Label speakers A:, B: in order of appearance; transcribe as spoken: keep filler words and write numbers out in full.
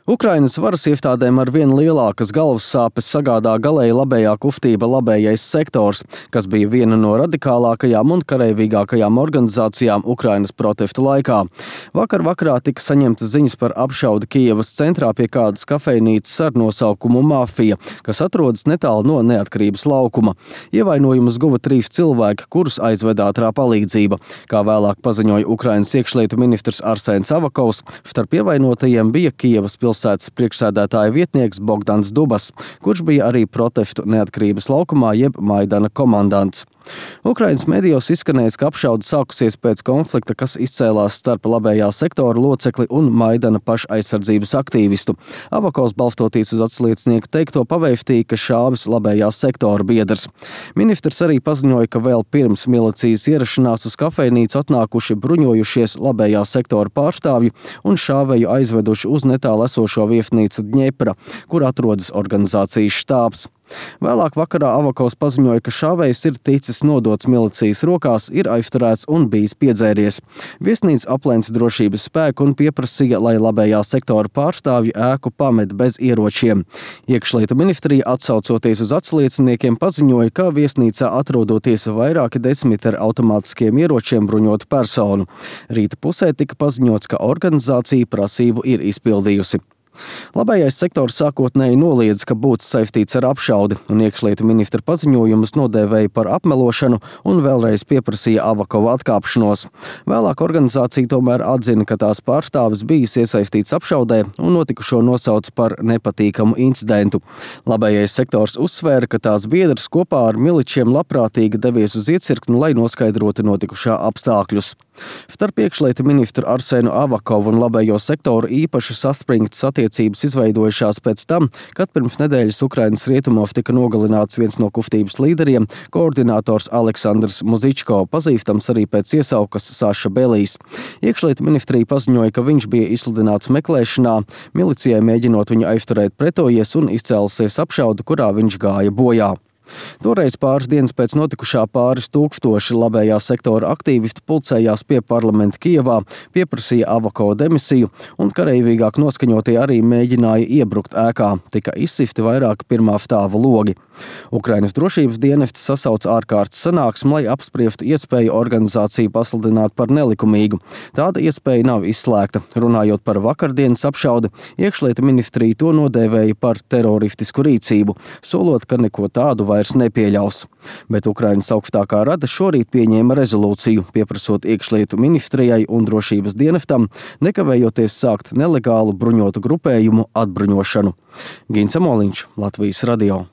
A: Ukrainas varas iestādēm ar vien lielākas galvas sāpes sagādā galēji labējā kustība Labējais sektors, kas bija viena no radikālākajām un kareivīgākajām organizācijām Ukrainas protestu laikā. Vakar vakarā tika saņemtas ziņas par apšaudi Kijevas centrā pie kādas kafejnīcas ar nosaukumu Mafija, kas atrodas netālu no Neatkarības laukuma. Ievainojumus guva trīs cilvēki, kurus aizveda ātrā palīdzība. Kā vēlāk paziņoja Ukrainas iekšlietu ministrs Arsēns Avakovs, starp ievainotajiem bija Kijevas pilsētas priekšsēdētāja vietnieks Bogdans Dubas, kurš bija arī protestu Neatkarības laukumā jeb Maidana komandants. Ukrainas medijos izskanējis, ka apšaude sākusies pēc konflikta, kas izcēlās starp labējā sektora locekli un Maidana pašaizsardzības aktīvistu. Avakovs, balstoties uz atsliecinieku teikto, pavēstīja, ka šāvis labējā sektora biedrs. Ministrs arī paziņoja, ka vēl pirms milicijas ierašanās uz kafejnīcu atnākuši bruņojušies labējā sektora pārstāvji un šāvēju aizveduši uz netālu esošo viesnīcu Dņepra, kur atrodas organizācijas štābs. Vēlāk vakarā Avakovs paziņoja, ka šāvējs ir ticis nodots milicijas rokās, ir aizturēts un bijis piedzēries. Viesnīca aplēca drošības spēku un pieprasīja, lai labējā sektora pārstāvji ēku pamet bez ieročiem. Iekšlietu ministrija, atsaucoties uz atslieciniekiem, paziņoja, ka viesnīcā atrodoties vairāki desmit ar automātiskiem ieročiem bruņotu personu. Rīta pusē tika paziņots, ka organizācija prasību ir izpildījusi. Labējais sektors sākotnēji noliedza, ka būtu saistīts ar apšaudi, un iekšlietu ministra paziņojumus nodēvēja par apmelošanu un vēlreiz pieprasīja Avakova atkāpšanos. Vēlāk organizācija tomēr atzina, ka tās pārstāvis bijis iesaistīts apšaudē un notikušo nosauca par nepatīkamu incidentu. Labējais sektors uzsvēra, ka tās biedrs kopā ar miličiem labprātīgi devies uz iecirkni, lai noskaidrotu notikušā apstākļus. Starp iekšlietu ministru Arsēnu Avakovu un labējo sektoru īpaši saspringtas attiecības izveidojušās pēc tam, kad pirms nedēļas Ukrainas rietumos tika nogalināts viens no kustības līderiem, koordinators Aleksandrs Muzičko, pazīstams arī pēc iesaukas Saša Belijs. Iekšlietu ministrija paziņoja, ka viņš bija izsludināts meklēšanā, milicijai mēģinot viņu aizturēt pretojies un izcēlusies apšaude, kurā viņš gāja bojā. Toreiz pāris dienas pēc notikušā pāris tūkstoši labējā sektora aktīvistu pulcējās pie parlamenta Kijevā, pieprasīja Avakova demisiju, un kareivīgāk noskaņotie arī mēģināja iebrukt ēkā, tika izsisti vairāki pirmā stāva logi. Ukrainas drošības dienesti sasauca ārkārtas sanāksmi, lai apspriestu iespēju organizāciju pasludināt par nelikumīgu. Tāda iespēja nav izslēgta. Runājot par vakardienas apšaudi, iekšlietu ministrija to nodēvēja par teroristisku rīcību, solot, ka neko tādu vairs nepieļaus. Bet Ukrainas augstākā rada šorīt pieņēma rezolūciju, pieprasot iekšlietu ministrijai un drošības dienestam, nekavējoties sākt nelegālu bruņotu grupējumu atbruņošanu. Gins Amoliņš, Latvijas radio.